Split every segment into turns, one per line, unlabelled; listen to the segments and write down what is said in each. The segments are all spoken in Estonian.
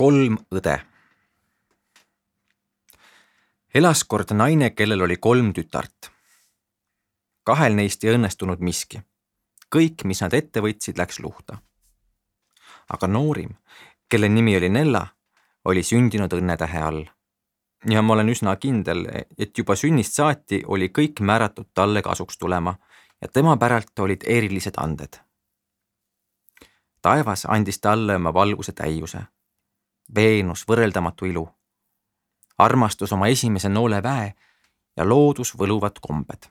3 õde. Elas kord naine, kellel oli 3 tütart. 2 neist ei õnnestunud miski. Kõik, mis nad ette võtsid, läks luhta. Aga noorim, kelle nimi oli Nella, oli sündinud õnnetähe all. Ja ma olen üsna kindel, et juba sünnist saati oli kõik määratud talle kasuks tulema ja tema päralt olid erilised anded. Taevas andis talle oma valguse täiuse, Veenus võrreldamatu ilu, armastus oma esimese noole väe ja loodus võluvad kombed.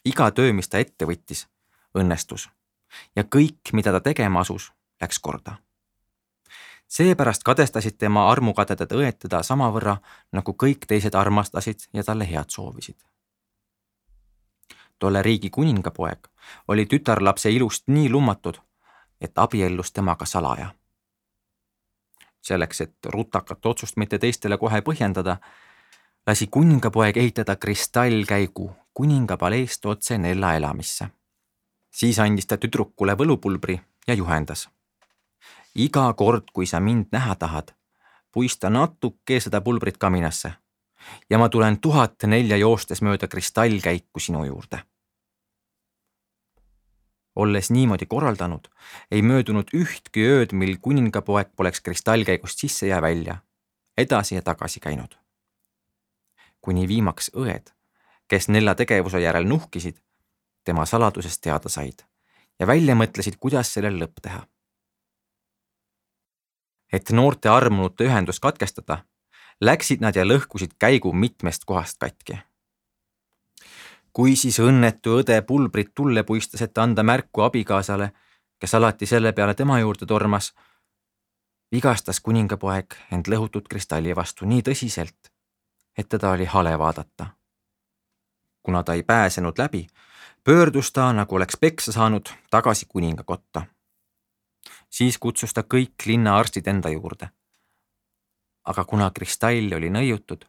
Iga töö, mis ta ette võttis, õnnestus ja kõik, mida ta tegema asus, läks korda. Seepärast kadestasid tema armukadedad õed teda samavõrra, nagu kõik teised armastasid ja talle head soovisid. Tolle riigi kuningapoeg oli tütarlapse ilust nii lummatud, et abiellus temaga salaja. Selleks, et rutakat otsust mitte teistele kohe põhjendada, lasi kuningapoeg ehitada kristallkäigu kuningapaleest otse Nella elamisse. Siis andis ta tüdrukule võlupulbri ja juhendas. Iga kord, kui sa mind näha tahad, puista natuke seda pulbrit kaminasse ja ma tulen 1004 joostes mööda kristallkäiku sinu juurde. Olles niimoodi korraldanud, ei möödunud ühtki ööd, mil kuningapoeg poleks kristallkäigust sisse ja välja, edasi ja tagasi käinud. Kuni viimaks õed, kes Nella tegevuse järel nuhkisid, tema saladusest teada said ja välja mõtlesid, kuidas sellel lõpp teha. Et noorte armunute ühendus katkestada, läksid nad ja lõhkusid käigu mitmest kohast katki. Kui siis õnnetu õde pulbrit tulle puistas, et anda märku abikaasale, kes alati selle peale tema juurde tormas, vigastas kuningapoeg end lõhutud kristalli vastu nii tõsiselt, et teda oli hale vaadata. Kuna ta ei pääsenud läbi, pöördus ta, nagu oleks peksa saanud, tagasi kuningakotta. Siis kutsus ta kõik linna arstid enda juurde. Aga kuna kristall oli nõiutud,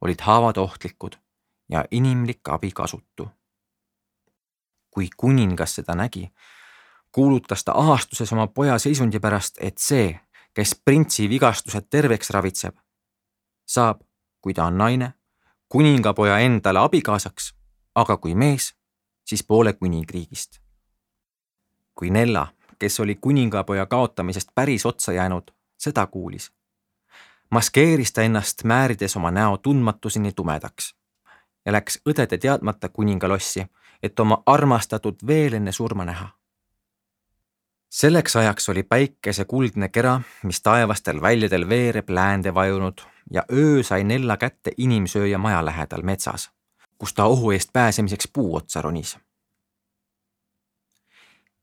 olid haavad ohtlikud ja inimlik abi kasutu. Kui kuningas seda nägi, kuulutas ta ahastuses oma poja seisundi pärast, et see, kes printsi vigastused terveks ravitseb, saab, kui ta on naine, kuningapoja endale abikaasaks, aga kui mees, siis poole kuningriigist. Kui Nella, kes oli kuningapoja kaotamisest päris otsa jäänud, seda kuulis, maskeeris ta ennast määrides oma näo tundmatuseni tumedaks ja läks õdede teadmata kuningalossi, et oma armastatud veel enne surma näha. Selleks ajaks oli päikese kuldne kera, mis taevastel väljadel veereb läände vajunud ja öö sai Nella kätte inimsööja maja lähedal metsas, kus ta ohu eest pääsemiseks puu otsa ronis.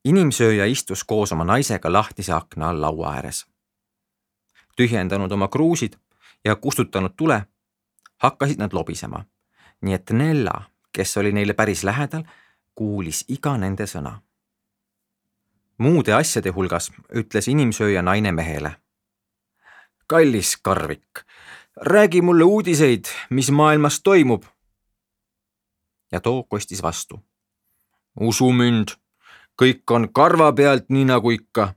Inimsööja istus koos oma naisega lahtise akna all laua ääres. Tühjendanud oma kruusid ja kustutanud tule, hakkasid nad lobisema, nii et Nella, kes oli neile päris lähedal, kuulis iga nende sõna. Muude asjade hulgas ütles inimsööja naine mehele. Kallis karvik, räägi mulle uudiseid, mis maailmas toimub. Ja too kostis vastu. Usu mind, kõik on karva pealt nii nagu ikka.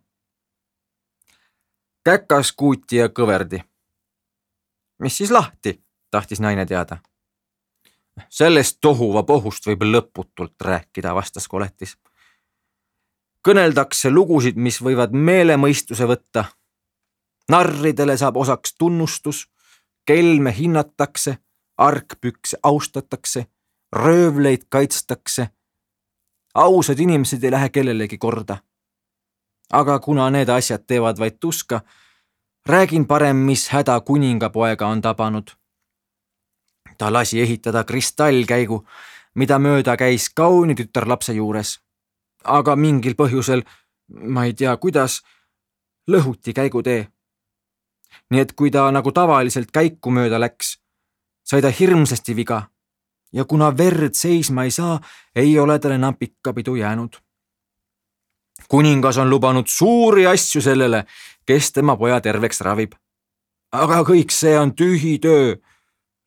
Käkas, kuuti ja kõverdi. Mis siis lahti, tahtis naine teada. Sellest tohuva pohust võib lõputult rääkida, vastas koletis. Kõneldakse lugusid, mis võivad meelemõistuse võtta. Narridele saab osaks tunnustus, kelme hinnatakse, argpükse austatakse, röövleid kaitstakse. Ausad inimesed ei lähe kellelegi korda. Aga kuna need asjad teevad vaid tuska, räägin parem, mis häda kuningapoega on tabanud. Ta lasi ehitada kristallkäigu, mida mööda käis kauni tütarlapse juures. Aga mingil põhjusel, ma ei tea kuidas, lõhuti käigutee. Nii et kui ta nagu tavaliselt käiku mööda läks, sai ta hirmsasti viga ja kuna verd seisma ei saa, ei ole tal enam pikka pidu jäänud. Kuningas on lubanud suuri asju sellele, kes tema poja terveks ravib. Aga kõik see on tühi töö,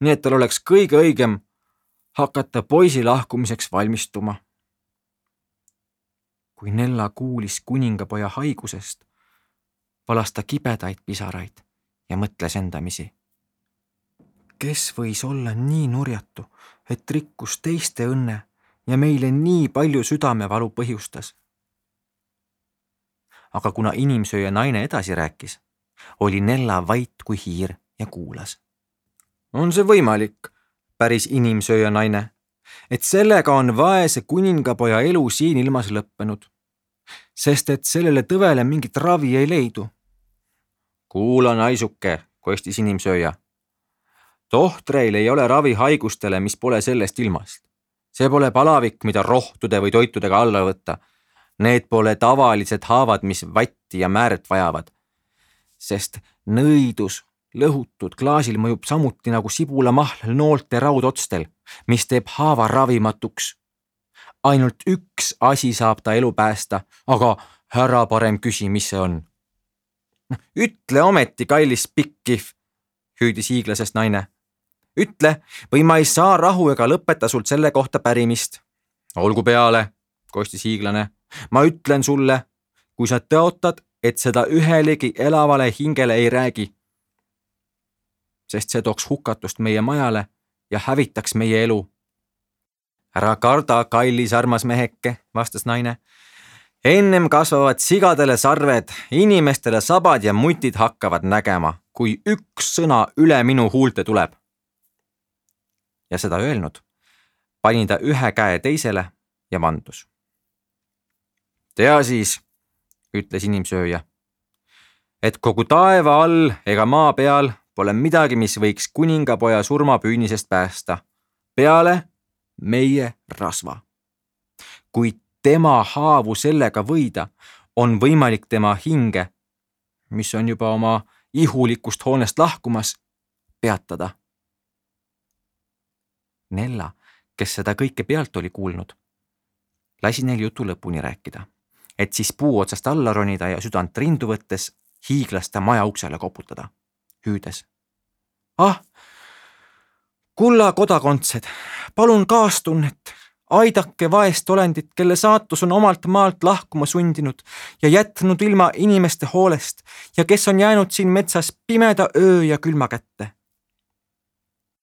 nii et tal oleks kõige õigem hakata poisi lahkumiseks valmistuma. Kui Nella kuulis kuningapoja haigusest, valas ta kibedaid pisaraid ja mõtles endamisi. Kes võis olla nii nurjatu, et rikkus teiste õnne ja meile nii palju südamevalu põhjustas? Aga kuna inimsööja naine edasi rääkis, oli Nella vait kui hiir ja kuulas. On see võimalik, päris inimsööja naine, et sellega on vaese kuningapoja elu siin ilmas lõppenud, sest et sellele tõvele mingit ravi ei leidu? Kuula, naisuke, kostis inimsööja. Tohtreil ei ole ravi haigustele, mis pole sellest ilmast. See pole palavik, mida rohtude või toitudega alla võtta. Need pole tavalised haavad, mis vatti ja määret vajavad. Sest nõidus lõhutud klaasil mõjub samuti nagu sibulamahl noolte raudotstel, mis teeb haava ravimatuks. Ainult üks asi saab ta elu päästa, aga ära parem küsi, mis see on. Ütle ometi, kallis pikkif, hüüdis hiiglasest naine. Ütle, või ma ei saa rahu ega lõpeta sult selle kohta pärimist. Olgu peale, kostis hiiglane. Ma ütlen sulle, kui sa tõotad, et seda ühelegi elavale hingele ei räägi, sest see tooks hukatust meie majale ja hävitaks meie elu. Ära karda, kallis armas meheke, vastas naine. Ennem kasvavad sigadele sarved, inimestele sabad ja mutid hakkavad nägema, kui üks sõna üle minu huulte tuleb. Ja seda öelnud, pani ta ühe käe teisele ja vandus. Tea siis, ütles inimsööja, et kogu taeva all ega maa peal pole midagi, mis võiks kuningapoja surmapüünisest päästa, peale meie rasva. Kui tema haavu sellega võida, on võimalik tema hinge, mis on juba oma ihulikust hoonest lahkumas, peatada. Nella, kes seda kõike pealt oli kuulnud, lasi neil jutu lõpuni rääkida, et siis puu otsast alla ronida ja südant rindu võttes hiiglasta maja uksele koputada, hüüdes. Kulla kodakondsed, palun kaastunnet, aidake vaest olendit, kelle saatus on omalt maalt lahkuma sundinud ja jätnud ilma inimeste hoolest ja kes on jäänud siin metsas pimeda öö ja külma kätte.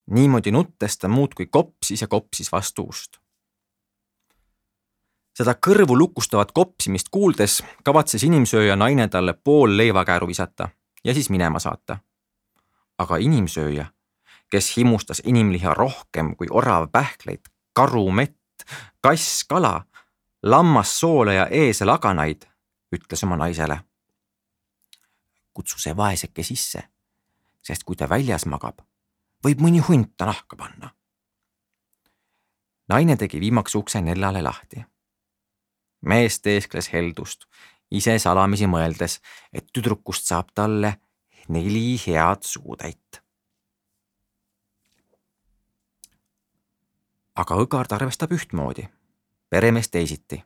Niimoodi nuttes ta muudkui kopsis ja kopsis vastu ust. Seda kõrvu lukustavat kopsimist kuuldes kavatses inimsööja naine talle pool leivakääru visata ja siis minema saata. Aga inimsööja, kes himustas inimliha rohkem kui orav pähkleid, karu mett, kass kala, lammas soole ja eesel aganaid, ütles oma naisele. Kutsu see vaeseke sisse, sest kui ta väljas magab, võib mõni hunt ta nahka panna. Naine tegi viimaks ukse Nellale lahti. Mees teeskles heldust, ise salamisi mõeldes, et tüdrukust saab talle 4 head suutäit. Aga õgard arvestab ühtmoodi, peremees teisiti,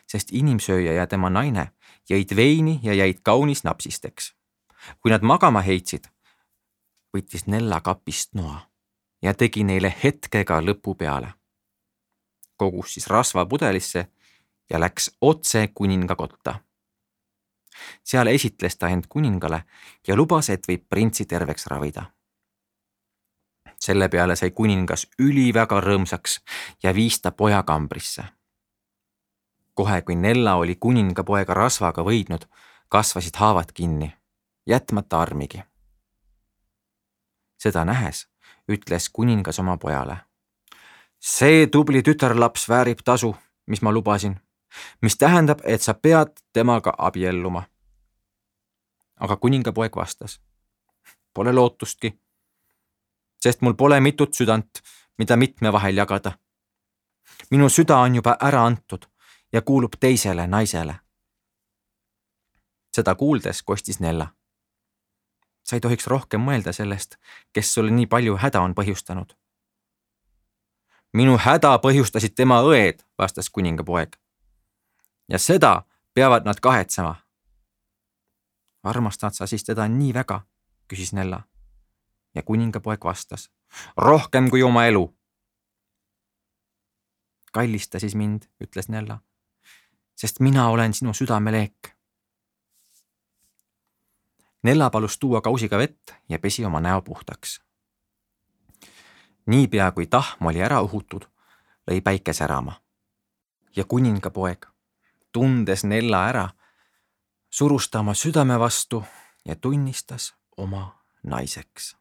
sest inimsööja ja tema naine jõid veini ja jäid kaunis napsisteks. Kui nad magama heitsid, võttis Nella kapist noa ja tegi neile hetkega lõpu peale. Kogus siis rasva pudelisse ja läks otse kuninga kotta. Seal esitles ta end kuningale ja lubas, et võib printsi terveks ravida. Selle peale sai kuningas üliväga rõõmsaks ja viis ta poja kambrisse. Kohe, kui Nella oli kuningapoega rasvaga võidnud, kasvasid haavad kinni, jätmata armigi. Seda nähes ütles kuningas oma pojale. See tubli tütarlaps väärib tasu, mis ma lubasin, mis tähendab, et sa pead temaga abielluma. Aga kuningapoeg vastas. Pole lootustki, sest mul pole mitut südant, mida mitme vahel jagada. Minu süda on juba ära antud ja kuulub teisele naisele. Seda kuuldes kostis Nella. Sa ei tohiks rohkem mõelda sellest, kes sulle nii palju häda on põhjustanud. Minu häda põhjustasid tema õed, vastas kuningapoeg. Ja seda peavad nad kahetsema. Armastad sa siis teda nii väga, küsis Nella. Ja kuningapoeg vastas. Rohkem kui oma elu. Kallista siis mind, ütles Nella, sest mina olen sinu südameleek. Nella palus tuua kausiga vett ja pesi oma näo puhtaks. Niipea kui tahm oli ära uhutud, lõi päike särama. Ja kuningapoeg, tundes Nella ära, surus ta oma südame vastu ja tunnistas oma naiseks.